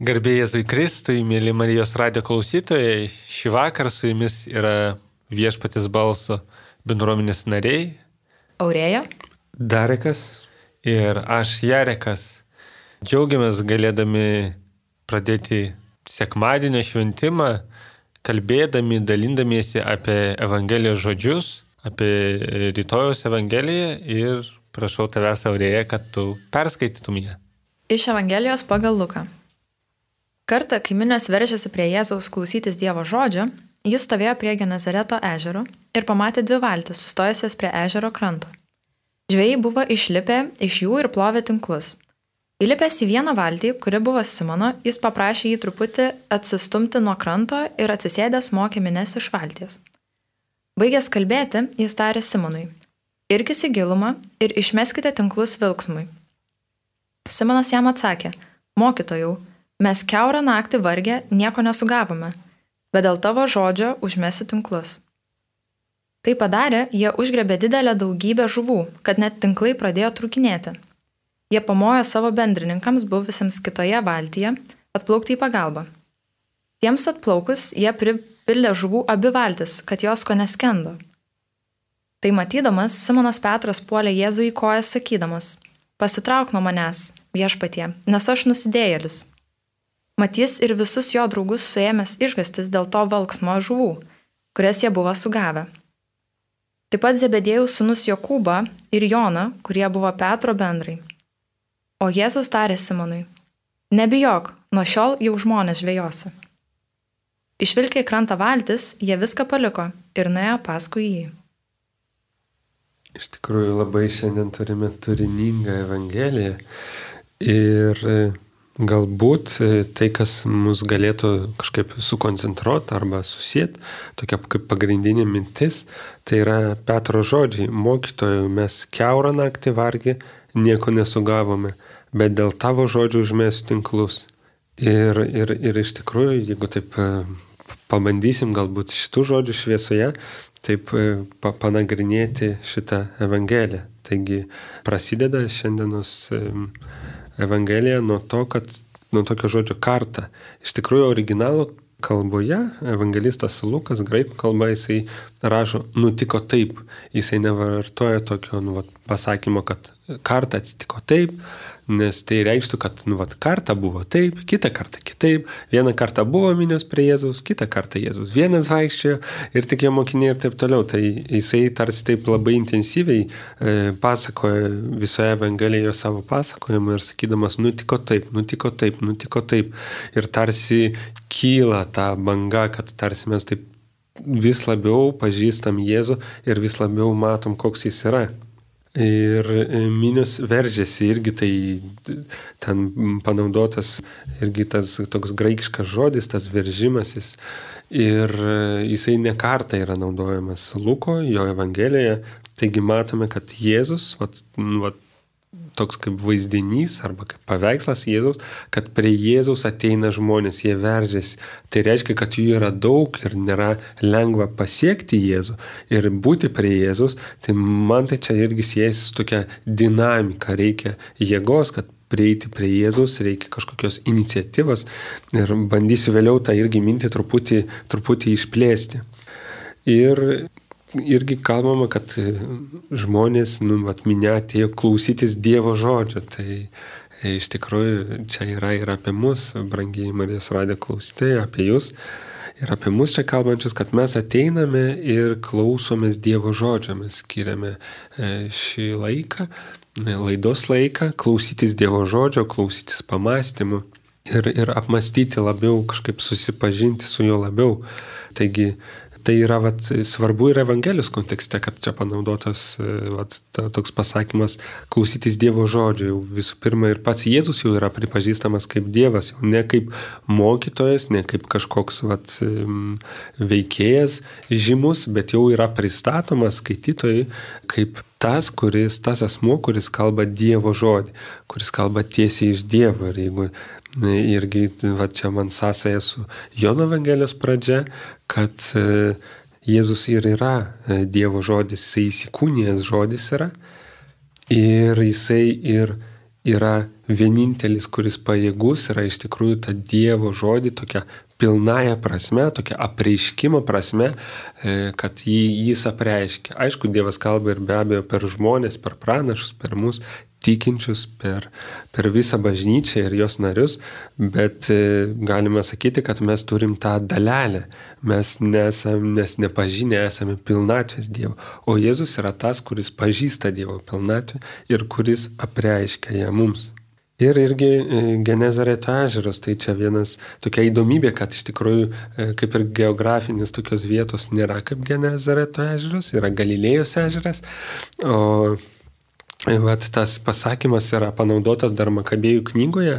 Garbė Jėzui Kristui, mėly Marijos radijo klausytojai, šį vakarą su jumis yra Viešpaties balso bendruomenės nariai Aurėja, Darekas ir aš Jarekas. Džiaugiamės galėdami pradėti sekmadienio šventimą, kalbėdami, dalindamiesi apie Evangelijos žodžius, apie rytojaus Evangeliją ir prašau tavęs, Aurėja, kad tu perskaitytum ją. iš Evangelijos pagal Luką. Kartą, kai minios veržėsi prie Jėzaus klausytis Dievo žodžio, jis stovėjo prie Genezareto ežero ir pamatė dvi valtis sustojusias prie ežero kranto. Žvejai buvo išlipę iš jų ir plovė tinklus. Įlipęs į vieną valtį, kuri buvo Simono, jis paprašė jį truputį atsistumti nuo kranto ir atsisėdęs mokė mines iš valties. Baigęs kalbėti, jis tarė Simonui: irkis į gilumą ir išmeskite tinklus vilksmui. Simonas jam atsakė: mokytojau, mes kiaurą naktį vargę nieko nesugavome, bet dėl tavo žodžio užmesiu tinklus. Tai padarė, jie užgrebė didelę daugybę žuvų, kad net tinklai pradėjo trūkinėti. Jie pamojo savo bendrininkams buvusiems kitoje valtyje atplaukti į pagalbą. Tiems atplaukus jie pripildė žuvų abi valtis, kad jos ko neskendo. Tai matydamas, Simonas Petras puolė Jėzui į kojas sakydamas: pasitrauk nuo manęs, viešpatie, nes aš nusidėjėlis. Mat jis ir visus jo draugus suėmęs išgąstis dėl to valksmo žuvų, kurias jie buvo sugavę. Taip pat Zebedėjaus sūnus Jokūbą ir Joną, kurie buvo Petro bendrai. O Jėzus tarė Simonui: nebijok, nuo šiol jau žmonės žvejosi. Išvilkę į krantą valtis, jie viską paliko ir nuėjo paskui jį. Iš tikrųjų labai šiandien turime turiningą Evangeliją ir galbūt tai, kas mus galėtų kažkaip sukoncentruoti arba susieti, tokia kaip pagrindinė mintis, tai yra Petro žodžiai: mokytojau, mes kiaurą naktį vargę nieko nesugavome, bet dėl tavo žodžių užmesiu tinklus. Ir iš tikrųjų, jeigu taip pabandysim galbūt šitų žodžių šviesoje, taip panagrinėti šitą Evangeliją. Taigi prasideda šiandienos Evangelija nuo tokio žodžio kartą. Iš tikrųjų, originalo kalboje evangelistas Lukas, graikų kalba, jisai rašo nutiko taip. Jisai nevartoja tokio pasakymo, kad kartą atsitiko taip, nes tai reikštų, kad kartą buvo taip, kitą kartą kitaip, vieną kartą buvo minios prie Jėzaus, kitą kartą Jėzus vienas vaikščiojo ir tik jo mokiniai ir taip toliau. Tai jisai tarsi taip labai intensyviai pasakoja visoje Evangelijoje savo pasakojimą ir sakydamas nutiko taip, nutiko taip, nutiko taip. Ir tarsi kyla ta banga, kad tarsi mes taip vis labiau pažįstam Jėzų ir vis labiau matom, koks jis yra. Ir minios veržėsi, irgi tai ten panaudotas irgi tas toks graikiškas žodis, tas veržimasis. Ir jisai ne kartą yra naudojamas Luko, jo Evangelijoje. Taigi matome, kad Jėzus, toks kaip vaizdinys arba kaip paveikslas Jėzaus, kad prie Jėzaus ateina žmonės, jie veržiasi. Tai reiškia, kad jų yra daug ir nėra lengva pasiekti Jėzų ir būti prie Jėzaus. Tai man tai čia irgi siejasi su tokia dinamika, reikia jėgos, kad prieiti prie Jėzaus, reikia kažkokios iniciatyvos ir bandysiu vėliau tą irgi mintį truputį išplėsti. Ir irgi kalbama, kad žmonės, minia atėjo klausytis Dievo žodžio. Tai iš tikrųjų čia yra ir apie mus, brangiai Marijos radijo klausytojai, apie jūs ir apie mus čia kalbančius, kad mes ateiname ir klausomės Dievo žodžio. Mes skiriame šį laiką, laidos laiką, klausytis Dievo žodžio, klausytis pamąstymų ir apmastyti labiau, kažkaip susipažinti su juo labiau. Taigi tai yra svarbu ir Evangelijos kontekste, kad čia panaudotas toks pasakymas klausytis Dievo žodžio. Jau visų pirma ir pats Jėzus jau yra pripažįstamas kaip Dievas, jau ne kaip mokytojas, ne kaip kažkoks veikėjas žymus, bet jau yra pristatomas skaitytojai kaip tas asmuo, kuris kalba Dievo žodį, kuris kalba tiesiai iš Dievo. Ir jeigu irgi čia man sąsaja su Jono Evangelijos pradžia, kad Jėzus ir yra Dievo žodis, jisai įsikūnijęs žodis yra ir jisai ir yra vienintelis, kuris pajėgus yra iš tikrųjų tą Dievo žodį tokia pilnąją prasme, tokia apreiškimo prasme, kad jis apreiškia. Aišku, Dievas kalba ir be abejo per žmonės, per pranašus, per mus tikinčius, per visą bažnyčią ir jos narius, bet galime sakyti, kad mes turim tą dalelę. Mes nepažinę esame pilnatvės Dievo, o Jėzus yra tas, kuris pažįsta Dievo pilnatvę ir kuris apreiškia ją mums. Ir irgi Genezareto ežeras, tai čia vienas tokia įdomybė, kad iš tikrųjų kaip ir geografinis tokios vietos nėra kaip Genezareto ežeras, yra Galilėjos ežeras, o vat, tas pasakymas yra panaudotas dar Makabėjų knygoje,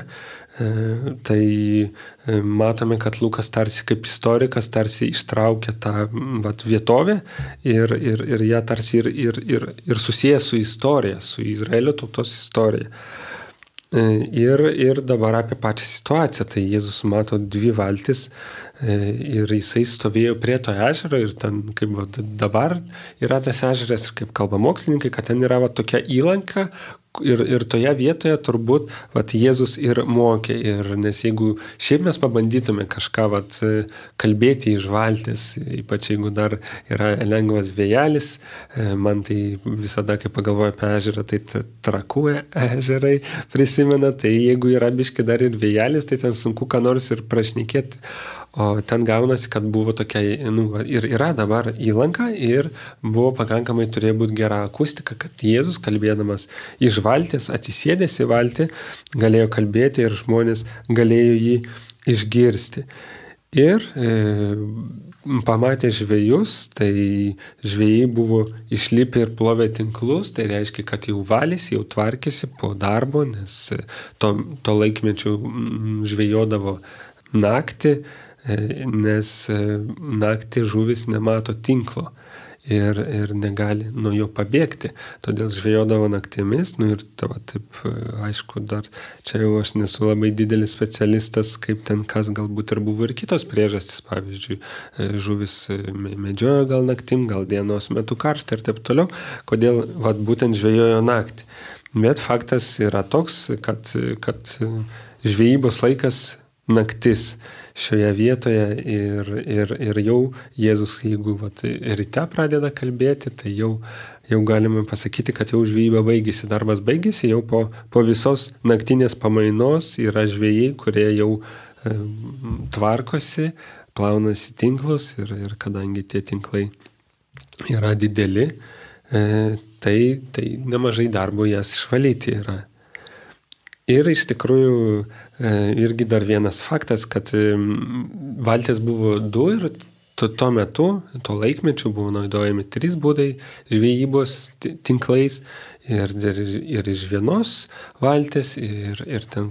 tai matome, kad Lukas tarsi kaip istorikas tarsi ištraukia tą vat, vietovę ir ją tarsi ir susieja su istorija, su Izraelio tautos istorija. Ir dabar apie pačią situaciją. Tai Jėzus mato 2 valtis ir jisai stovėjo prie to ežero ir ten, kaip dabar yra tas ežeras, ir kaip kalba mokslininkai, kad ten yra tokia įlanka ir toje vietoje turbūt Jėzus ir mokė. Nes jeigu šiaip mes pabandytume kažką kalbėti iš valties, ypač jeigu dar yra lengvas vėjelis, man tai visada, kai pagalvoju apie ežerą, tai Trakų ežerai prisimena, tai jeigu yra biški dar ir vėjelis, tai ten sunku ką nors ir prašnekėti. O ten gaunasi, kad buvo tokia, ir yra dabar įlanka ir buvo pakankamai turėjo būti gera akustika, kad Jėzus kalbėdamas iš valties, atsisėdęs į valtį, galėjo kalbėti ir žmonės galėjo jį išgirsti. Ir pamatė žvejus, tai žvejai buvo išlipę ir plovė tinklus, tai reiškia, kad jau valėsi, jau tvarkėsi po darbo, nes to laikmečių žvejodavo naktį, nes naktį žuvis nemato tinklo ir negali nuo jo pabėgti. Todėl žvejodavo naktimis, ir taip, aišku, dar čia jau aš nesu labai didelis specialistas, kaip ten kas galbūt ir buvo ir kitos priežastys, pavyzdžiui, žuvis medžiojo gal naktim, gal dienos metu karštą ir taip toliau, kodėl būtent žvejojo naktį. Bet faktas yra toks, kad žvejybos laikas naktis šioje vietoje ir jau Jėzus, jeigu ryte pradeda kalbėti, tai jau galime pasakyti, kad jau žvejyba baigėsi, darbas baigėsi, jau po visos naktinės pamainos yra žvejai, kurie jau tvarkosi, plaunasi tinklus ir kadangi tie tinklai yra dideli, tai nemažai darbo jas išvalyti yra. Ir iš tikrųjų irgi dar vienas faktas, kad valtis buvo 2 ir tuo metu, tuo laikmečiu buvo naudojami 3 būdai žvejybos tinklais ir iš vienos valtis ir ten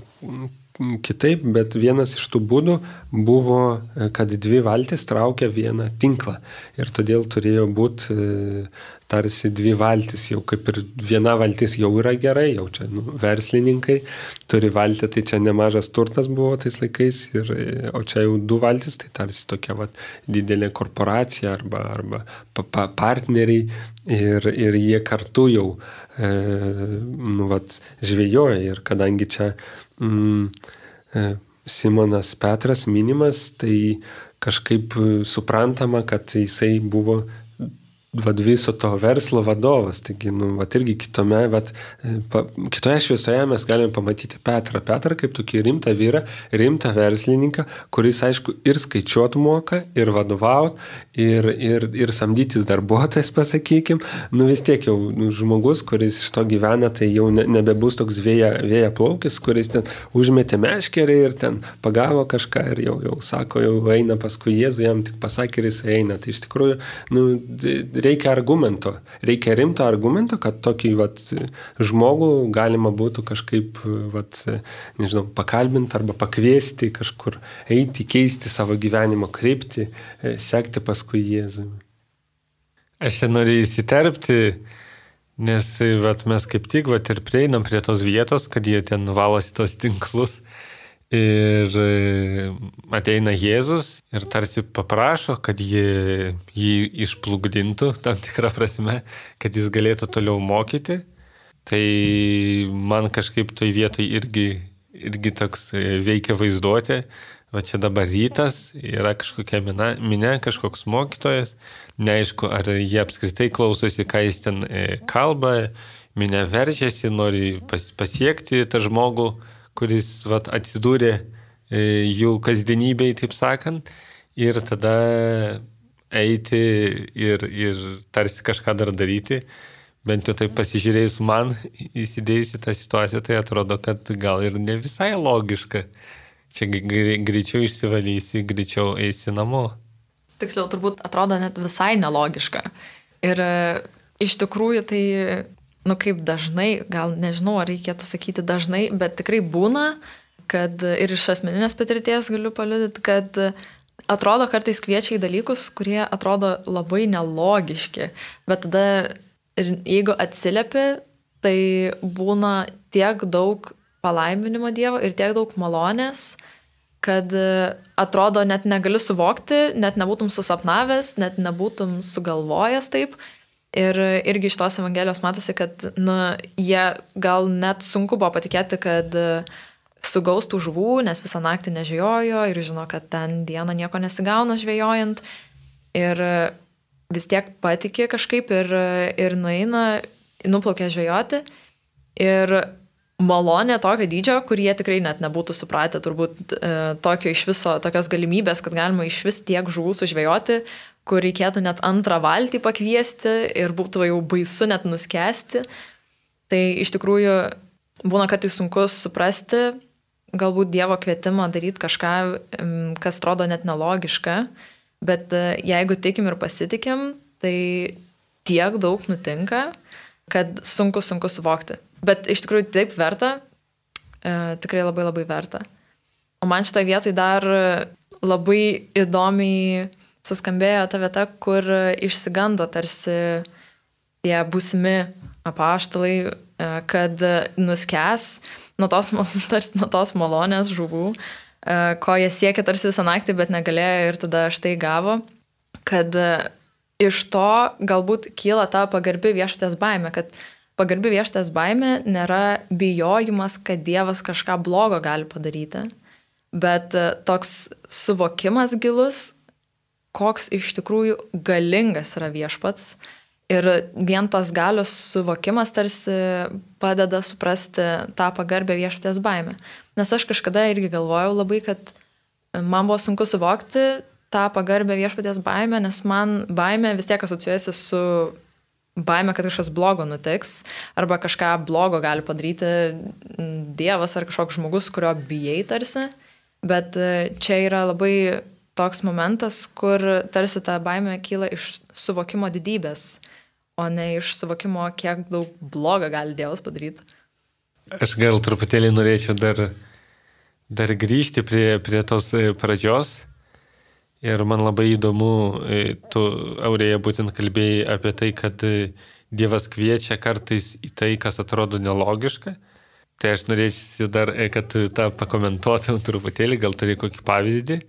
kitaip, bet vienas iš tų būdų buvo, kad 2 valtis traukia vieną tinklą ir todėl turėjo būti tarsi 2 valtis, jau kaip ir viena valtis jau yra gerai, jau čia verslininkai turi valtį, tai čia nemažas turtas buvo tais laikais, o čia jau 2 valtis, tai tarsi tokia didelė korporacija arba partneriai ir jie kartu jau žvejoja ir kadangi čia Simonas Petras minimas, tai kažkaip suprantama, kad jisai buvo viso to verslo vadovas. Taigi, irgi kitoje šviesoje mes galime pamatyti Petrą kaip tokį rimtą vyrą, rimtą verslininką, kuris, aišku, ir skaičiuot moka, ir vadovaut, ir samdytis darbuotojas, pasakykim. Vis tiek jau žmogus, kuris iš to gyvena, tai jau nebebus toks vėja plaukis, kuris ten užmetė meškerį ir ten pagavo kažką ir jau sako, jau eina paskui Jėzų, jam tik pasakė ir jis eina. Tai iš tikrųjų, reikia argumento, reikia rimto argumento, kad tokį žmogų galima būtų kažkaip, nežinau, pakalbinti arba pakviesti kažkur eiti, keisti savo gyvenimo kryptį, sekti paskui Jėzų. Aš čia noriu įsiterpti, nes mes kaip tik ir prieinam prie tos vietos, kad jie ten valosi tos tinklus. Ir ateina Jėzus ir tarsi paprašo, kad jį išplukdintų tam tikrą prasme, kad jis galėtų toliau mokyti. Tai man kažkaip toj vietoj irgi toks veikia vaizduotė. Va čia dabar rytas, yra kažkokia minė, kažkoks mokytojas. Neaišku, ar jie apskritai klausosi, ką jis ten kalba. Minė veržiasi, nori pasiekti tą žmogų, kuris atsidūrė jų kasdienybėj, taip sakant. Ir tada eiti ir tarsi kažką dar daryti. Bent jau taip pasižiūrėjus man, įsidėjus į tą situaciją, tai atrodo, kad gal ir ne visai logiška. Čia greičiau išsivalysi, greičiau eisi namo. Tiksliau, turbūt atrodo net visai nelogiška. Ir iš tikrųjų tai, kaip dažnai, gal nežinau, ar reikėtų sakyti dažnai, bet tikrai būna, kad ir iš asmeninės patirties galiu paliudyti, kad atrodo kartais kviečia į dalykus, kurie atrodo labai nelogiški. Bet tada, jeigu atsiliepi, tai būna tiek daug palaiminimo Dievo ir tiek daug malonės, kad atrodo net negali suvokti, net nebūtum susapnavęs, net nebūtum sugalvojęs taip. Ir irgi iš tos Evangelijos matosi, kad jie gal net sunku buvo patikėti, kad sugaus tų žuvų, nes visą naktį nežvejojo ir žino, kad ten dieną nieko nesigauna žvejojant. Ir vis tiek patikė kažkaip ir nuplaukia žvejoti. Ir malonė tokio dydžio, kurie tikrai net nebūtų supratę turbūt tokios galimybės, kad galima iš vis tiek žuvų sužvejoti, kur reikėtų net antrą valtį pakviesti ir būtų jau baisu net nuskesti. Tai iš tikrųjų būna kartais sunku suprasti galbūt Dievo kvietimą daryti kažką, kas atrodo net nelogiška, bet jeigu tikim ir pasitikim, tai tiek daug nutinka, kad sunku suvokti. Bet iš tikrųjų taip verta, tikrai labai labai verta. O man šitoje vietoje dar labai įdomiai suskambėjo ta vieta, kur išsigando tarsi tie būsimi apaštalai, kad nuskęs nuo tos malonės žuvų, ko jie siekė tarsi visą naktį, bet negalėjo ir tada štai gavo, kad iš to galbūt kyla ta pagarbi viešpaties baimė, kad pagarbi viešpaties baimė nėra bijojimas, kad Dievas kažką blogo gali padaryti, bet toks suvokimas gilus, koks iš tikrųjų galingas yra viešpats. Ir vien tas galios suvokimas tarsi padeda suprasti tą pagarbę viešpaties baimę. Nes aš kažkada irgi galvojau labai, kad man buvo sunku suvokti tą pagarbę viešpaties baimę, nes man baimė vis tiek asociuojasi su baimė, kad kažkas blogo nutiks, arba kažką blogo gali padaryti Dievas ar kažkoks žmogus, kurio bijai tarsi. Bet čia yra labai toks momentas, kur tarsi ta baimė kyla iš suvokimo didybės, o ne iš suvokimo, kiek daug blogo gali Dievas padaryti. Aš gal truputėlį norėčiau dar grįžti prie tos pradžios. Ir man labai įdomu, tu, Aurėja, būtent kalbėjai apie tai, kad Dievas kviečia kartais į tai, kas atrodo nelogiška. Tai aš norėčiau dar, kad tą pakomentuotum truputėlį, gal turi kokį pavyzdį.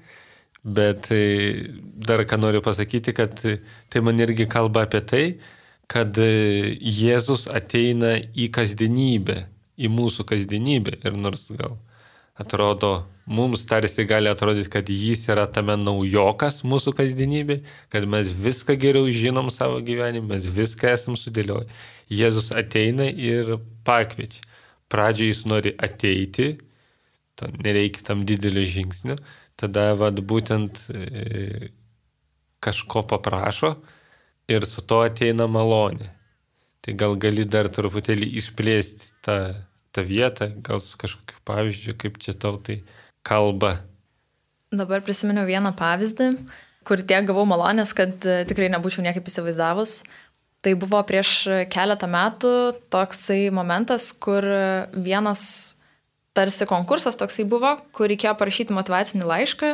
Bet dar ką noriu pasakyti, kad tai man irgi kalba apie tai, kad Jėzus ateina į kasdienybę, į mūsų kasdienybę. Ir nors gal atrodo, mums tarsi gali atrodyti, kad jis yra tame naujokas mūsų kasdienybė, kad mes viską geriau žinom savo gyvenime, mes viską esam sudėlioję. Jėzus ateina ir pakviečia. Pradžioje jis nori ateiti, nereikia tam didelio žingsnio, tada būtent kažko paprašo ir su to ateina malonė. Tai gal gali dar truputėlį išplėsti tą vietą, gal su kažkokiu pavyzdžiu, kaip čia tau tai kalba. Dabar prisiminiau vieną pavyzdį, kur tiek gavau malonės, kad tikrai nebūčiau niekaip įsivaizdavus. Tai buvo prieš keletą metų toksai momentas, kur vienas tarsi konkursas toksai buvo, kur reikėjo parašyti motyvacinį laišką,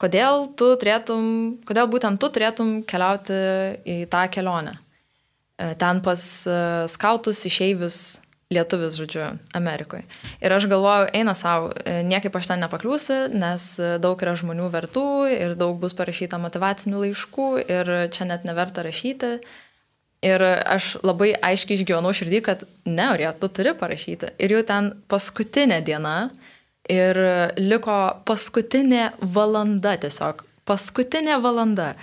kodėl būtent tu turėtum keliauti į tą kelionę. Ten pas skautus, išeivius, lietuvius, žodžiu, Amerikoje. Ir aš galvoju, eina savo, niekaip aš ten nepakliūsiu, nes daug yra žmonių vertų ir daug bus parašyta motyvacinių laiškų ir čia net neverta rašyti. Ir aš labai aiškiai išgyvenau širdį, kad ne, Aurija, tu turi parašyti. Ir jau ten paskutinė diena ir liko paskutinė valanda tiesiog. Paskutinė valanda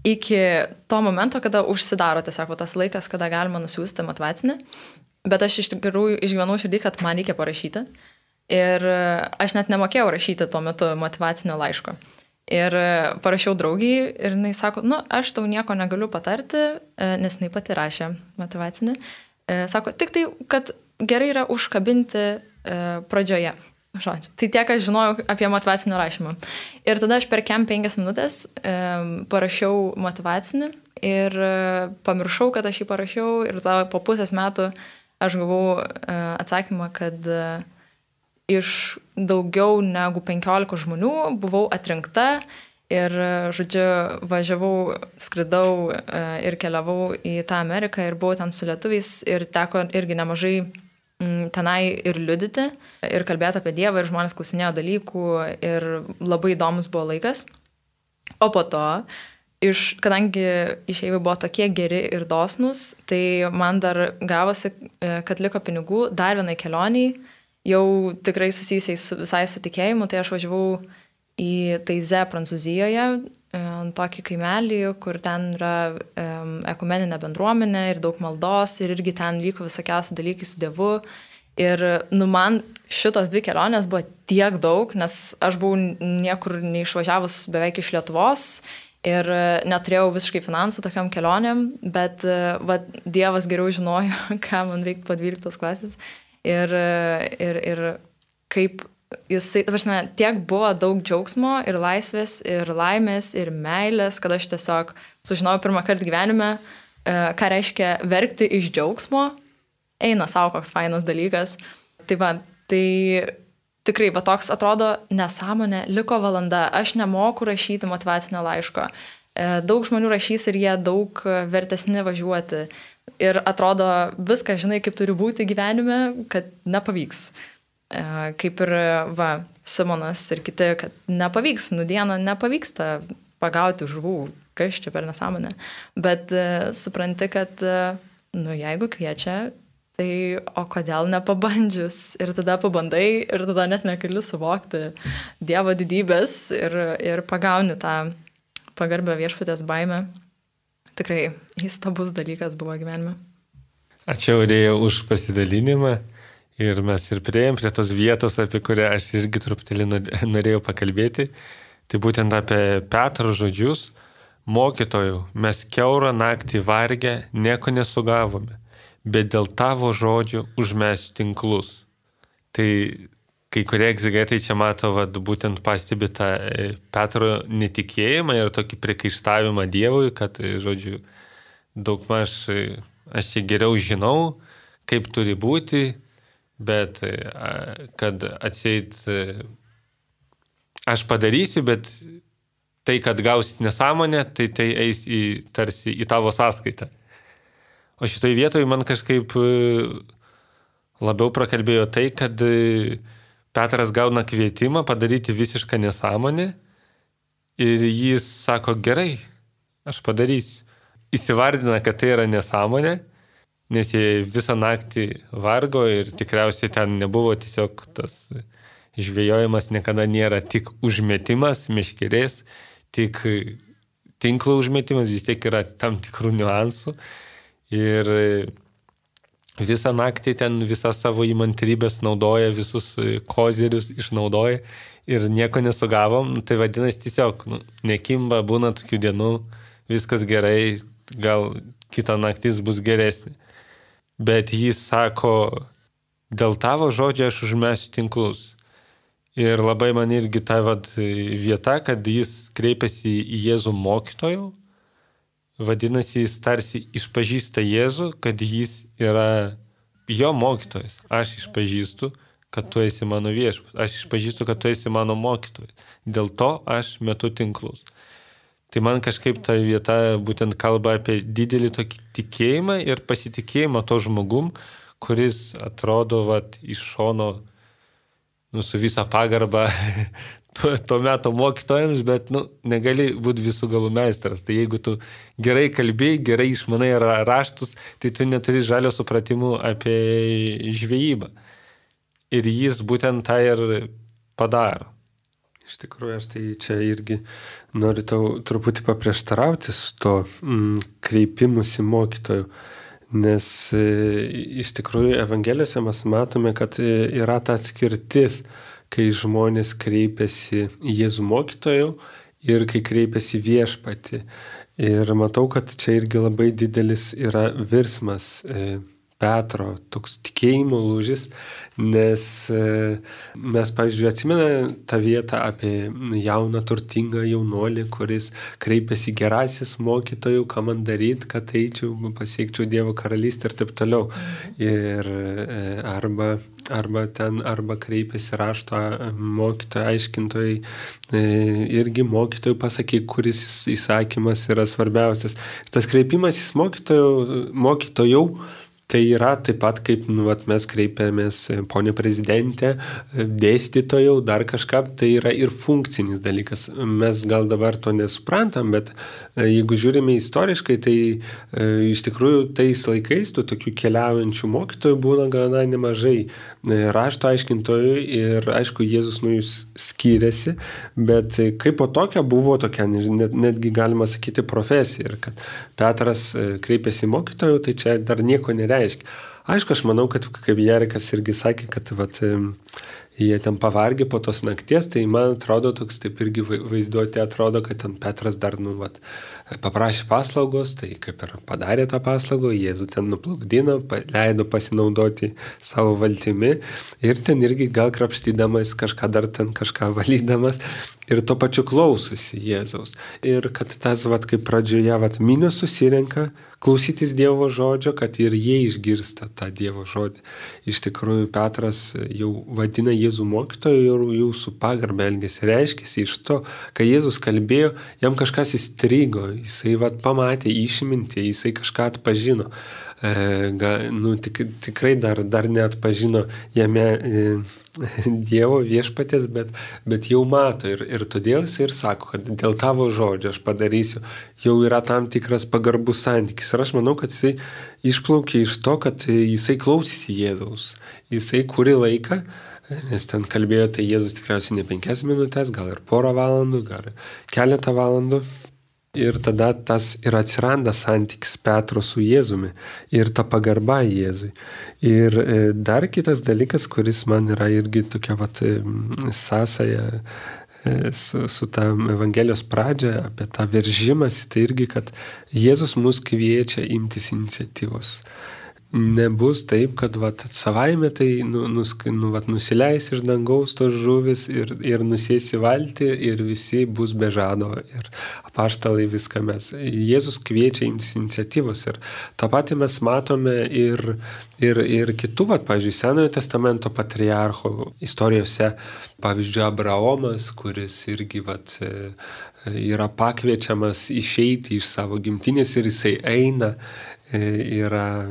iki to momento, kada užsidaro tiesiog tas laikas, kada galima nusiųsti motyvacinį. Bet aš iš tikrųjų išgyvenau širdį, kad man reikia parašyti. Ir aš net nemokėjau rašyti tuo metu motyvacinio laiško. Ir parašiau draugiai ir jinai sako, aš tau nieko negaliu patarti, nes jinai pati rašė motyvacinį. Sako, tik tai, kad gerai yra užkabinti pradžioje. Žodžiu. Tai tiek aš žinojau apie motyvacinio rašymą. Ir tada aš per 5 minutės parašiau motyvacinį ir pamiršau, kad aš jį parašiau ir tada po pusės metų aš gavau atsakymą, kad iš daugiau negu 15 žmonių buvau atrinkta ir, žodžiu, važiavau, skridau ir keliavau į tą Ameriką ir buvau ten su lietuviais ir teko irgi nemažai tenai ir liudyti ir kalbėti apie Dievą ir žmonės klausinėjo dalykų ir labai įdomus buvo laikas. O po to, kadangi išeiviai buvo tokie geri ir dosnus, tai man dar gavosi, kad liko pinigų dar vienai kelioniai, jau tikrai susijusiai visai su tikėjimu, tai aš važiavau į Taize, Prancūzijoje, tokį kaimelį, kur ten yra ekumeninė bendruomenė ir daug maldos ir irgi ten vyko visokiausi dalykai su Dievu. Ir man šitos 2 kelionės buvo tiek daug, nes aš buvau niekur neišvažiavus beveik iš Lietuvos ir neturėjau visiškai finansų tokiam kelionėm, bet Dievas geriau žinojo, ką man veikti po 12 klasės. Ir kaip jisai, tiek buvo daug džiaugsmo ir laisvės, ir laimės, ir meilės, kad aš tiesiog sužinojau pirmą kartą gyvenime, ką reiškia verkti iš džiaugsmo, eina savo koks fainas dalykas. Tai tikrai, toks atrodo nesąmonė, liko valanda, aš nemoku rašyti motyvacinio laiško. Daug žmonių rašys ir jie daug vertesni važiuoti. Ir atrodo viską žinai, kaip turi būti gyvenime, kad nepavyks. Kaip ir Simonas ir kiti, kad nepavyks, dieną nepavyksta pagauti žuvų, kas čia per nesąmonę. Bet supranti, kad jeigu kviečia, tai o kodėl nepabandžius? Ir tada pabandai ir tada net negali suvokti Dievo didybės ir pagauni tą pagarbę viešpatės baimę. Tikrai įstabus dalykas buvo gyvenime. Ačiū, Aurija, už pasidalinimą. Ir mes ir prieėjom prie tos vietos, apie kurią aš irgi truputėlį norėjau pakalbėti. Tai būtent apie Petro žodžius. Mokytojau, mes kiaurą naktį vargę, nieko nesugavome, bet dėl tavo žodžių užmesiu tinklus. Tai kai kurie egzegetai čia mato, būtent pastebi tą Petro netikėjimą ir tokį priekaištavimą Dievui, kad, žodžiu, daugmaž aš čia geriau žinau, kaip turi būti, bet kad atseit aš padarysiu, bet tai, kad gausis nesąmonė, tai eis tarsi į tavo sąskaitą. O šitoj vietoj man kažkaip labiau prakalbėjo tai, kad Petras gauna kvietimą padaryti visišką nesąmonę ir jis sako, gerai, aš padarysiu. Įsivardina, kad tai yra nesąmonė, nes jie visą naktį vargo ir tikriausiai ten nebuvo tiesiog tas žvejojimas, niekada nėra tik užmetimas meškerės, tik tinklo užmetimas, vis tiek yra tam tikrų niuansų. Ir visą naktį ten visą savo įmantrybės naudoja, visus kozerius išnaudoja ir nieko nesugavom. Tai vadinasi tiesiog, nekimba, būna tokių dienų, viskas gerai, gal kita naktis bus geresnė. Bet jis sako, dėl tavo žodžio aš užmesiu tinklus. Ir labai man irgi ta vieta, kad jis kreipiasi į Jėzų mokytojų. Vadinasi, jis tarsi išpažįsta Jėzų, kad jis yra jo mokytojas. Aš išpažįstu, kad tu esi mano viešpats. Aš išpažįstu, kad tu esi mano mokytojas. Dėl to aš metu tinklus. Tai man kažkaip ta vieta būtent kalba apie didelį tokį tikėjimą ir pasitikėjimą to žmogum, kuris atrodo iš šono su visą pagarbą to meto mokytojams, bet negali būti visų galų meistras. Tai jeigu tu gerai kalbėjai, gerai išmanai raštus, tai tu neturi žalio supratimų apie žvejybą. Ir jis būtent tą ir padaro. Iš tikrųjų, aš tai čia irgi noriu tau truputį paprieštarauti su to kreipimusi mokytojų, nes iš tikrųjų Evangelijose mes matome, kad yra ta atskirtis, kai žmonės kreipiasi į Jėzų mokytojų ir kai kreipiasi Viešpatį. Ir matau, kad čia irgi labai didelis yra virsmas Petro, toks tikėjimo lūžis, nes mes, pavyzdžiui, atsimena tą vietą apie jauną turtingą jaunuolį, kuris kreipiasi gerasis mokytojų, ką man daryti, kad eičiau, pasiekčiau Dievo karalystę ir taip toliau. Ir arba kreipiasi rašto mokytojai, aiškintojai, irgi mokytojų pasakyk, kuris įsakymas yra svarbiausias. Tas kreipimasis mokytojų tai yra taip pat, kaip mes kreipiamės ponė prezidentė, dėstytojau, dar kažką, tai yra ir funkcinis dalykas. Mes gal dabar to nesuprantam, bet jeigu žiūrime istoriškai, tai iš tikrųjų tais laikais tų tokių keliaujančių mokytojų būna gana nemažai. Rašto aiškintojų ir aišku, Jėzus nuo jų skyrėsi, bet kaip po tokia buvo tokia, netgi galima sakyti, profesija. Ir kad Petras kreipėsi mokytojų, tai čia dar nieko nereiškia. Aišku, aš manau, kad kaip Jerikas irgi sakė, kad jie ten pavargė po tos nakties, tai man atrodo toks taip irgi vaizduoti atrodo, kad ten Petras dar paprašė paslaugos, tai kaip ir padarė tą paslaugą, Jėzų ten nuplukdino, leido pasinaudoti savo valtimi ir ten irgi gal krapštydamas kažką dar ten kažką valydamas ir to pačiu klausosi Jėzaus. Ir kad tas, kaip pradžioje, minios susirenka klausytis Dievo žodžio, kad ir jie išgirsta tą Dievo žodį. Iš tikrųjų, Petras jau vadina Jėzų mokytoju ir jau su pagarba elgėsi. Reiškėsi iš to, kai Jėzus kalbėjo, jam kažkas įstrigo, jisai pamatė išmintį, jisai kažką atpažino. Tikrai dar neatpažino jame Dievo viešpatės, bet jau mato ir todėl jis ir sako, kad dėl tavo žodžio aš padarysiu, jau yra tam tikras pagarbus santykis. Ir aš manau, kad jisai išplaukė iš to, kad jisai klausėsi Jėzaus. Jisai kurį laiką, nes ten kalbėjo, tai Jėzus tikriausiai ne 5 minutės, gal ir porą valandų, gal keletą valandų. Ir tada tas ir atsiranda santykis Petro su Jėzumi ir ta pagarba Jėzui. Ir dar kitas dalykas, kuris man yra irgi tokia sąsaja su ta Evangelijos pradžia, apie tą veržimąsi, tai irgi, kad Jėzus mus kviečia imtis iniciatyvos. Nebus taip, kad savaime tai nusileis iš dangaus tos žuvis ir nusės į valtį ir visi bus be žado ir apaštalai viską mes. Jėzus kviečia imtis iniciatyvos ir tą patį mes matome ir kitų, pavyzdžiui, Senojo testamento patriarchų istorijose, pavyzdžiui, Abraomas, kuris irgi yra pakviečiamas išeiti iš savo gimtinės ir jisai eina. Yra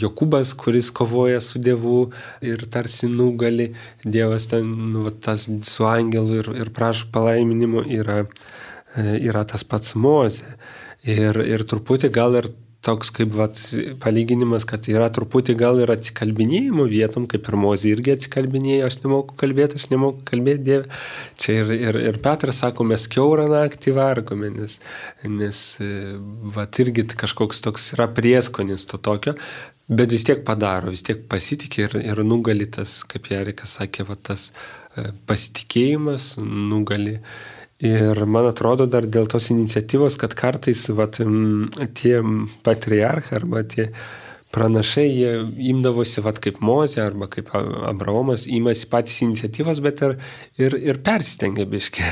Jokūbas, kuris kovoja su Dievu ir tarsi nugali. Dievas ten tas su angelu ir prašo palaiminimo, yra tas pats Mozė. Ir truputį gal ir toks kaip palyginimas, kad yra truputį gal ir atsikalbinėjimo vietom, kaip ir Mozė irgi atsikalbinėjo, aš nemoku kalbėti Dieve. Čia ir Petras sako, mes kiaurą naktį vargome, nes irgi kažkoks toks yra prieskonis to tokio, bet vis tiek padaro, vis tiek pasitikė ir nugali tas, kaip Jerikas sakė, tas pasitikėjimas nugali. Ir man atrodo dar dėl tos iniciatyvos, kad kartais tie patriarchai arba tie pranašai, jie imdavosi kaip Mozė arba kaip Abraomas, imasi patys iniciatyvos, bet ir persistengia biškį.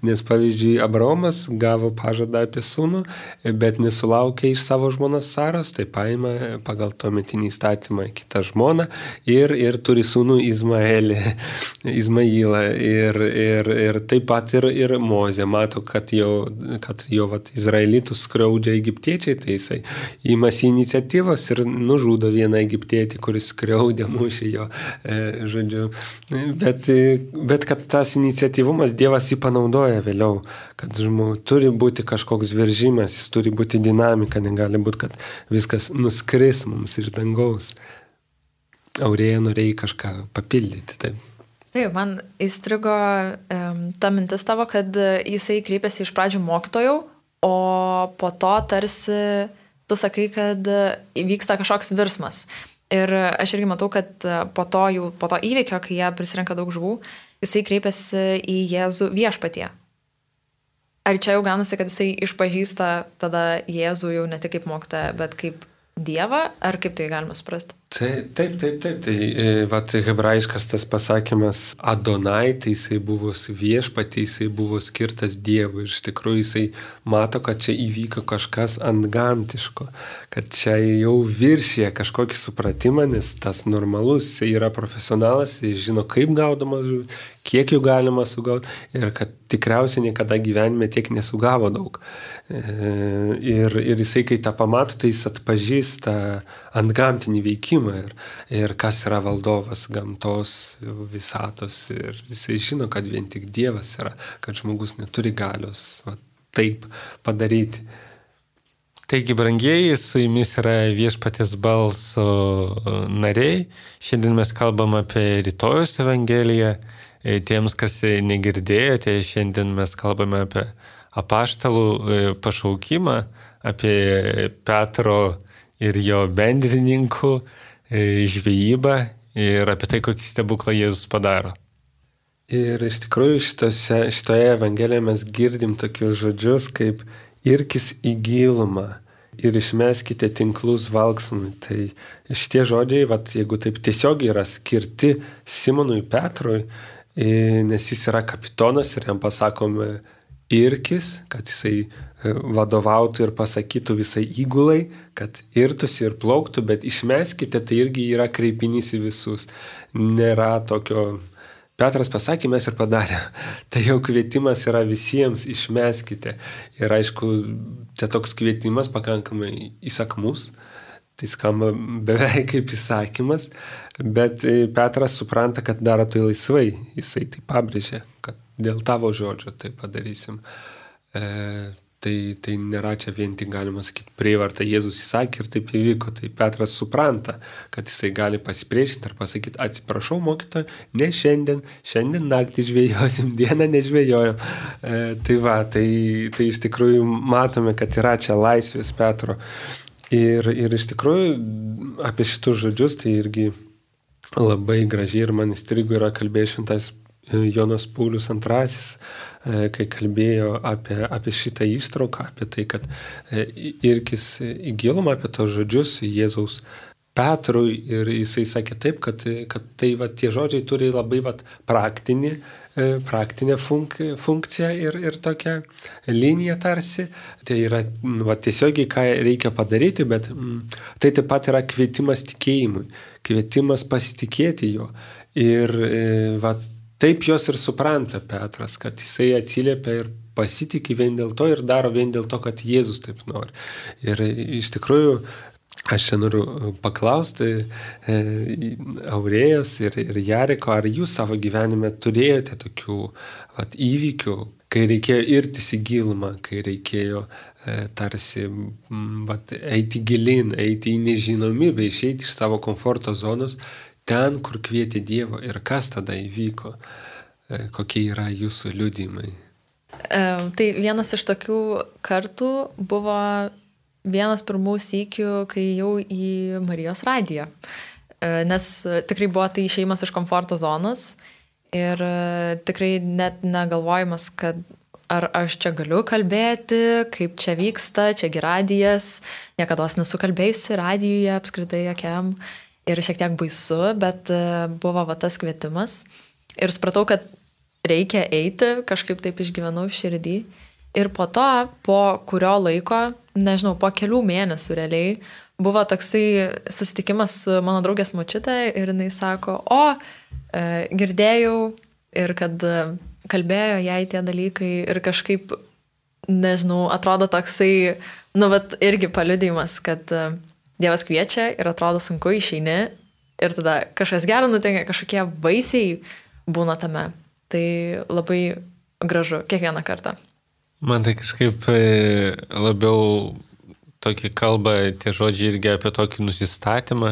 Nes pavyzdžiui, Abraomas gavo pažadą apie sūnų, bet nesulaukė iš savo žmonos Saros, tai paima pagal tuometinį įstatymą kitą žmoną ir turi sūnų Izmailą. Ir taip pat ir Mozė mato, kad jo izraelitus skriaudžia egiptiečiai, tai jisai imasi iniciatyvos ir nužudo vieną egiptietį, kuris skriaudė, mušė jo, žodžiu. Bet kad tas iniciatyvumas Dievas jį panaudoja vėliau, kad turi būti kažkoks veržimas, jis turi būti dinamika, negali būti, kad viskas nuskris mums iš dangaus. Aurėja norėjai kažką papildyti, taip. Taip, man įstrigo ta mintis tavo, kad jisai kreipėsi iš pradžių mokytojų, o po to tarsi tu sakai, kad vyksta kažkoks virsmas. Ir aš irgi matau, kad po to įvykio, kai jie prisirenka daug žuvų, jisai kreipėsi į Jėzų viešpatie. Ar čia jau gaunasi, kad jisai išpažįsta tada Jėzų jau ne tik kaip mokytoją, bet kaip Dievą, ar kaip tai galima suprasti? Taip. Tai hebrajiškas tas pasakymas Adonai, tai jisai buvo viešpatį, jisai buvo skirtas Dievui. Ir iš tikrųjų jisai mato, kad čia įvyko kažkas antgamtiško, kad čia jau viršė kažkokį supratimą, nes tas normalus, jisai yra profesionalas, jis žino, kaip gaudama žuvis, kiek jų galima sugauti ir kad tikriausiai niekada gyvenime tiek nesugavo daug. Ir jisai, kai tą pamato, tai jis atpažįsta antgamtinį veikimą ir kas yra valdovas gamtos, visatos. Ir jisai žino, kad vien tik Dievas yra, kad žmogus neturi galios taip padaryti. Taigi, brangieji, su jumis yra Viešpaties balso nariai. Šiandien mes kalbam apie rytojus Evangeliją. Tiems, kas negirdėjote, šiandien mes kalbame apie apaštalų pašaukimą, apie Petro ir jo bendrininkų žvejybą ir apie tai, kokį stebuklą Jėzus padaro. Ir iš tikrųjų šitoje Evangelijoje mes girdim tokius žodžius kaip irkis į gilumą ir išmeskite tinklus valksmui. Tai šitie žodžiai, jeigu taip tiesiog yra skirti Simonui Petrui, nes jis yra kapitonas ir jam pasakome irkis, kad jisai vadovautų ir pasakytų visai įgulai, kad irtųsi ir plauktų, bet išmeskite, tai irgi yra kreipinys į visus. Nėra tokio, Petras pasakė, mes ir padarė. Tai jau kvietimas yra visiems, išmeskite. Ir aišku, tai toks kvietimas pakankamai įsakmus, tai skamba beveik kaip įsakymas, bet Petras supranta, kad daro tai laisvai. Jisai tai pabrėžė, kad dėl tavo žodžio tai padarysim. Tai nėra čia vien tik galima sakyti prievarta, Jėzus įsakė ir taip įvyko. Tai Petras supranta, kad jisai gali pasipriešinti ir pasakyti, atsiprašau mokytoja, ne šiandien naktį žvejosim, dieną nežvejojom. Tai iš tikrųjų matome, kad yra čia laisvės Petro. Ir iš tikrųjų apie šitus žodžius tai irgi labai gražiai ir man įstrigo yra kalbėjęs šventas Jonas Paulius II, kai kalbėjo apie šitą ištrauką, apie tai, kad irkis į gilumą, apie tos žodžius Jėzaus Petrui ir jisai sakė taip, kad tai tie žodžiai turi labai praktinę funkciją ir tokią liniją tarsi. Tai yra tiesiogiai, ką reikia padaryti, bet tai taip pat yra kvietimas tikėjimui, kvietimas pasitikėti jo. Ir taip jos ir supranta Petras, kad jisai atsiliepia ir pasitikė vien dėl to ir daro vien dėl to, kad Jėzus taip nori. Ir iš tikrųjų aš čia noriu paklausti Aurėjos ir Jariko, ar jūs savo gyvenime turėjote tokių įvykių, kai reikėjo irtis į gilumą, kai reikėjo tarsi eiti gilin, eiti į nežinomybę, išeiti iš savo komforto zonos, ten, kur kvietė Dievo ir kas tada įvyko, kokie yra jūsų liudijimai? Tai vienas iš tokių kartų buvo vienas pirmų sykių, kai jau į Marijos radiją. Nes tikrai buvo tai išėjimas iš komforto zonos ir tikrai net negalvojimas, kad ar aš čia galiu kalbėti, kaip čia vyksta, čiagi radijas, niekados nesu kalbėjusi radijuje apskritai jokiam. Ir šiek tiek baisu, bet buvo tas kvietimas. Ir supratau, kad reikia eiti, kažkaip taip išgyvenau širdį. Ir po to, po kurio laiko, nežinau, po kelių mėnesių realiai, buvo toksai susitikimas su mano draugės močiutė ir jinai sako, girdėjau ir kad kalbėjo jai tie dalykai ir kažkaip, nežinau, atrodo toksai, irgi paliudijimas, kad Dievas kviečia ir atrodo sunku, išeini ir tada kažkas gero nutinka, kažkokie vaisiai būna tame. Tai labai gražu kiekvieną kartą. Man tai kažkaip labiau tokį kalba tie žodžiai irgi apie tokį nusistatymą,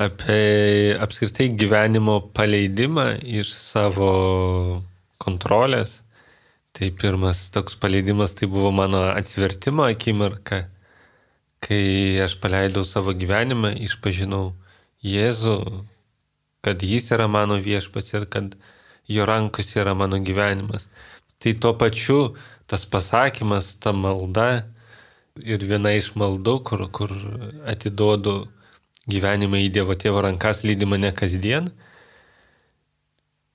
apie apskritai gyvenimo paleidimą iš savo kontrolės. Tai pirmas toks paleidimas tai buvo mano atsivertimo akimirka, kai aš paleidau savo gyvenimą, išpažinau Jėzų, kad jis yra mano viešpats ir kad jo rankose yra mano gyvenimas. Tai tuo pačiu tas pasakymas, ta malda ir viena iš maldų, kur atiduodu gyvenimą į Dievo Tėvo rankas, lydi mane kasdien,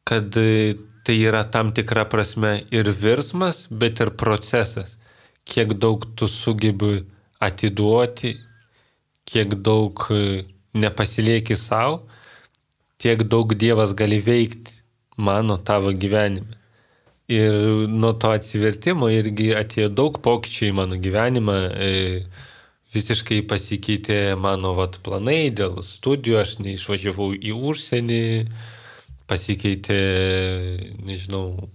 kad tai yra tam tikra prasme ir virsmas, bet ir procesas. Kiek daug tu sugebi atiduoti, kiek daug nepasilieki savo, tiek daug Dievas gali veikti tavo gyvenime. Ir nuo to atsivertimo irgi atėjo daug pokyčių į mano gyvenimą. Visiškai pasikeitė mano planai dėl studijų, aš neišvažiavau į užsienį, pasikeitė, nežinau,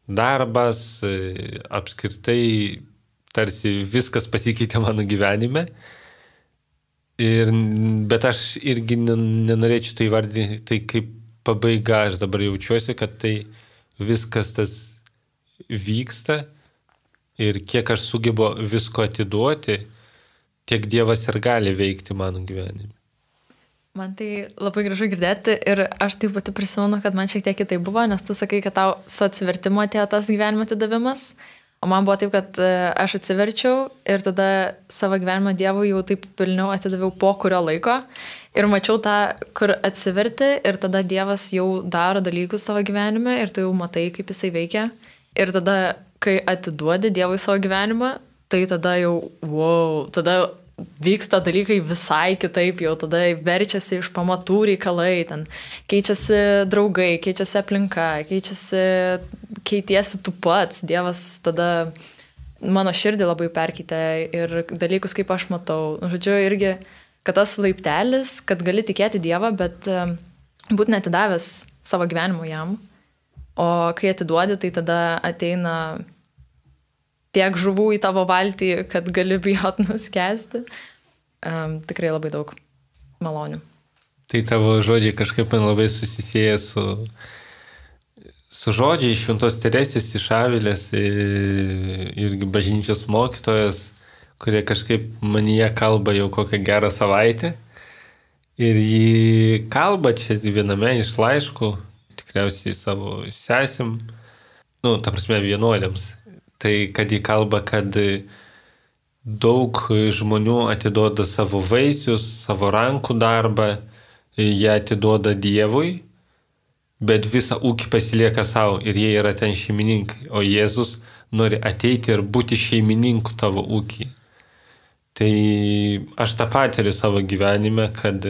darbas, apskritai tarsi viskas pasikeitė mano gyvenime. Bet aš irgi nenorėčiau tai įvardinti, tai kaip pabaiga, aš dabar jaučiuosi, kad tai viskas tas vyksta ir kiek aš sugebu visko atiduoti, tiek Dievas ir gali veikti mano gyvenime. Man tai labai gražu girdėti ir aš taip pati prisimenu, kad man šiek tiek kitai buvo, nes tu sakai, kad tau su atsivertimu atėjo tas gyvenimo atidavimas, o man buvo taip, kad aš atsiverčiau ir tada savo gyvenimą Dievui jau taip pilniau atidaviau po kurio laiko ir mačiau tą, kur atsiverti ir tada Dievas jau daro dalykus savo gyvenime ir tu jau matai, kaip jisai veikia. Ir tada, kai atiduodi Dievui savo gyvenimą, tai tada jau, tada vyksta dalykai visai kitaip, jau tada verčiasi iš pamatų reikalai, ten keičiasi draugai, keičiasi aplinka, keitiesi tu pats, Dievas tada mano širdį labai perkeitė ir dalykus, kaip aš matau. Žodžiu, irgi, kad tas laiptelis, kad gali tikėti Dievą, bet būti netidavęs savo gyvenimo jam, o kai atiduodi, tai tada ateina tiek žuvų į tavo valtį, kad gali bijot nuskesti. Tikrai labai daug malonių. Tai tavo žodžiai kažkaip man labai susisieja su žodžiai Šventos Teresės iš Avilės irgi bažnyčios mokytojas, kurie kažkaip manyje kalba jau kokią gerą savaitę. Ir jį kalba čia viename iš laiškų, tikriausiai savo sesim, ta prasme vienuoliams. Tai kad jį kalba, kad daug žmonių atiduoda savo vaisius, savo rankų darbą, jie atiduoda Dievui, bet visą ūkį pasilieka savo ir jie yra ten šeimininkai, o Jėzus nori ateiti ir būti šeimininku tavo ūkį. Tai aš tą patiriu savo gyvenime, kad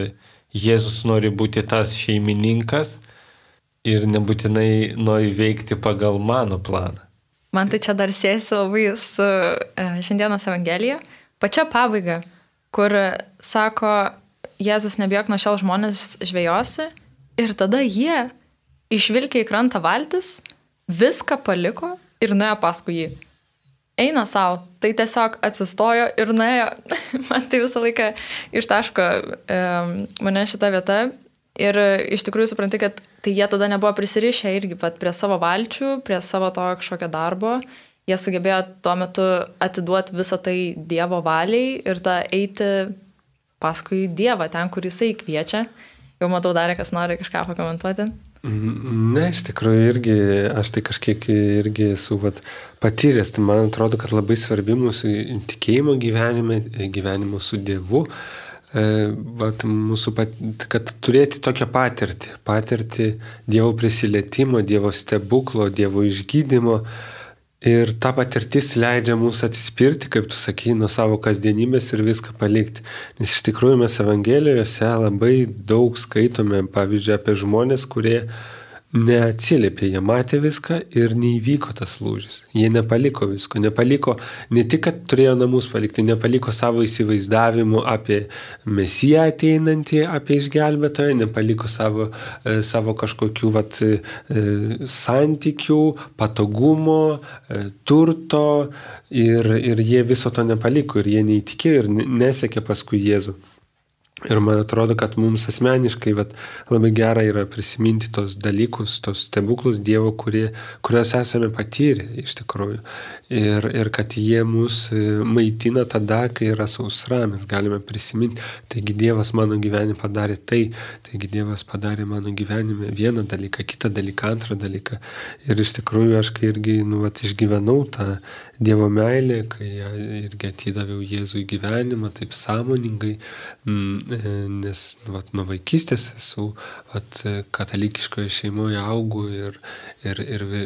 Jėzus nori būti tas šeimininkas ir nebūtinai nori veikti pagal mano planą. Man tai čia dar siejasi labai su šiandienos Evangelija. Pačia pabaiga, kur sako, Jėzus nebijok nuo šiol žmonės žvejosi ir tada jie išvilkė į krantą valtis, viską paliko ir nuėjo paskui jį. Eina savo, tai tiesiog atsistojo ir nuėjo. Man tai visą laiką ištaško mane šitą vietą. Ir iš tikrųjų supranti, kad tai jie tada nebuvo prisirišę irgi prie savo valčių, prie savo to kažkokio darbo. Jie sugebėjo tuo metu atiduoti visą tai Dievo valiai ir eiti paskui Dievą, ten, kur jisai kviečia. Jau matau, dar kas nori kažką pakomentuoti. Ne, iš tikrųjų irgi, aš tai kažkiek irgi esu patyręs. Tai man atrodo, kad labai svarbi mūsų tikėjimo gyvenimo su Dievu. Kad turėti tokią patirtį Dievo prisilietimo, Dievo stebuklo, Dievo išgydymo ir ta patirtis leidžia mums atsispirti, kaip tu sakai, nuo savo kasdienybės ir viską palikti. Nes iš tikrųjų mes Evangelijose labai daug skaitome, pavyzdžiui, apie žmonės, kurie neatsiliepė, jie matė viską ir neįvyko tas lūžis. Jie nepaliko visko, ne tik, kad turėjo namus palikti, nepaliko savo įsivaizdavimų apie Mesiją ateinantį, apie išgelbėtoją, nepaliko savo kažkokių santykių, patogumo, turto ir jie viso to nepaliko ir jie neįtikėjo ir nesekė paskui Jėzų. Ir man atrodo, kad mums asmeniškai labai gera yra prisiminti tos dalykus, tos stebuklus Dievo, kuriuos esame patyrę iš tikrųjų. Ir kad jie mus maitina tada, kai yra sausra, mes galime prisiminti. Taigi Dievas mano gyvenime padarė tai, taigi Dievas padarė mano gyvenime vieną dalyką, kitą dalyką, antrą dalyką. Ir iš tikrųjų aš kai irgi išgyvenau tą Dievo meilę, kai irgi atidaviau Jėzui gyvenimą taip sąmoningai, nes nuo vaikystės esu katalikiškoje šeimoje augu ir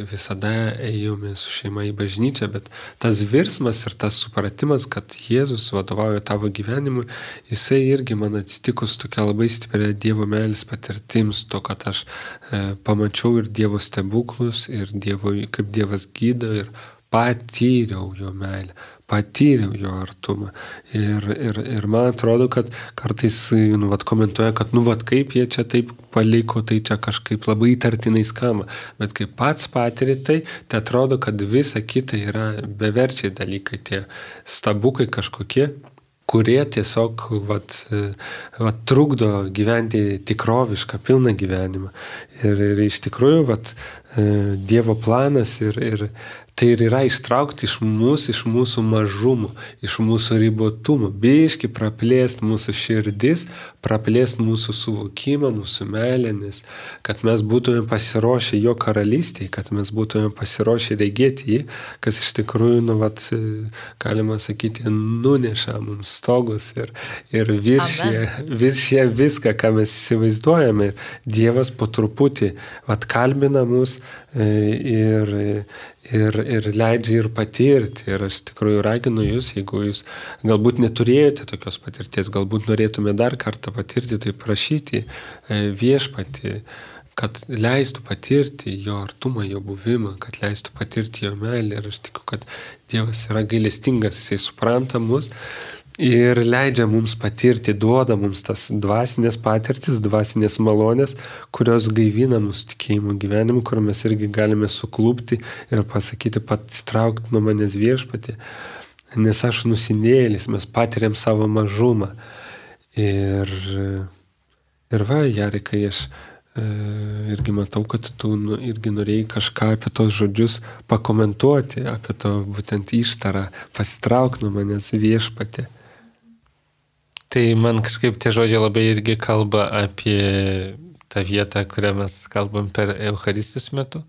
visada ėjome su šeima į bažnyčią, bet tas virsmas ir tas supratimas, kad Jėzus vadovauja tavo gyvenimui, jisai irgi man atsitikus tokia labai stipria Dievo meilės patirtims, to, kad aš pamačiau ir Dievo stebuklus, ir kaip Dievas gydo, ir patyriau jo meilę, patyriau jo artumą. Ir man atrodo, kad kartais komentuoja, kad kaip jie čia taip paliko, tai čia kažkaip labai įtartinai skamba. Bet kai pats patiri tai atrodo, kad visa kita yra beverčiai dalykai, tie stabukai kažkokie, kurie tiesiog trukdo gyventi tikrovišką, pilną gyvenimą. Ir iš tikrųjų Dievo planas ir tai ir yra ištraukti iš mūsų mažumų, iš mūsų ribotumų, biški praplėst mūsų širdis, praplėst mūsų suvokimą, mūsų meilę, nes kad mes būtume pasiruošę jo karalystėje, kad mes būtume pasiruošę regėti jį, kas iš tikrųjų, galima sakyti, nuneša mums stogus ir viršė viską, ką mes įsivaizduojame. Dievas po truputį kalbina mus ir leidžia ir patirti. Ir aš tikrųjų raginu jūs, jeigu jūs galbūt neturėjote tokios patirties, galbūt norėtume dar kartą patirti, tai prašyti Viešpatį, kad leistų patirti jo artumą, jo buvimą, kad leistų patirti jo meilę. Ir aš tikiu, kad Dievas yra gailestingas, jisai supranta mus ir leidžia mums patirti, duoda mums tas dvasinės patirtis, dvasinės malonės, kurios gaivina mūsų tikėjimo gyvenimu, kur mes irgi galime suklūpti ir pasakyti, pasitraukti nuo manęs Viešpatie, nes aš nusidėjėlis, mes patiriam savo mažumą. Ir Jarikai, aš irgi matau, kad tu irgi norėjai kažką apie tos žodžius pakomentuoti, apie to būtent ištarą, pasitraukti nuo manęs Viešpatie. Tai man kažkaip tie žodžiai labai irgi kalba apie tą vietą, kurią mes kalbam per Eucharistijos metu,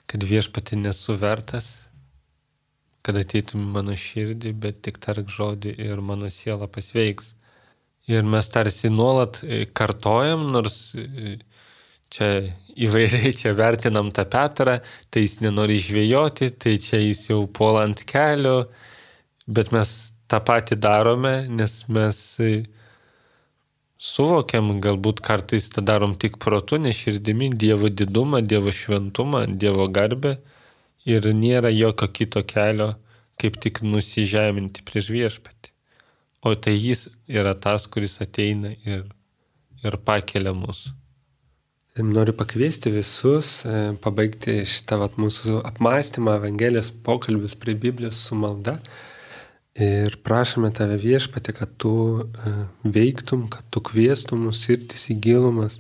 kad Viešpatie nesu vertas, kad ateitum mano širdį, bet tik tark žodį ir mano siela pasveiks. Ir mes tarsi nuolat kartojam, nors čia įvairiai čia vertinam tą Petrą, tai jis nenori žvejoti, tai čia jis jau puola ant kelio, bet mes tą patį darome, nes mes suvokiam, galbūt kartais tą darom tik protu, ne širdimi, Dievo didumą, Dievo šventumą, Dievo garbę ir nėra jokio kito kelio, kaip tik nusižeminti prieš Viešpatį. O tai jis yra tas, kuris ateina ir pakelia mus. Noriu pakviesti visus pabaigti šitą mūsų apmąstymą, Evangelijos pokalbius prie Biblijos su malda. Ir prašome tave Viešpatie, kad tu veiktum, kad tu kviestum mus irtis į gilumas,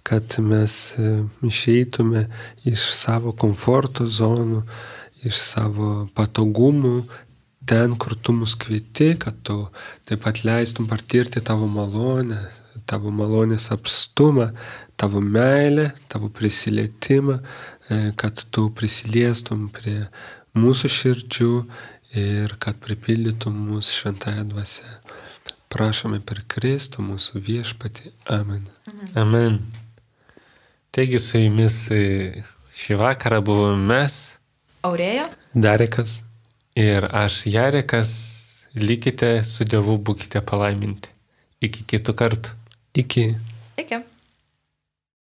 kad mes išeitume iš savo komforto zonų, iš savo patogumų, ten, kur tu mus kvieti, kad tu taip pat leistum patirti tavo malonę, tavo malonės apstumą, tavo meilę, tavo prisilietimą, kad tu prisiliestum prie mūsų širdžių ir kad pripildytum mūsų šventąją dvasią. Prašome per Kristų mūsų Viešpatį. Amen. Amen. Taigi su jumis šį vakarą buvome mes, Aurėja, Darekas ir aš, Jarekas. Likite su Dievu, būkite palaiminti. Iki kitų kartų. Iki. iki.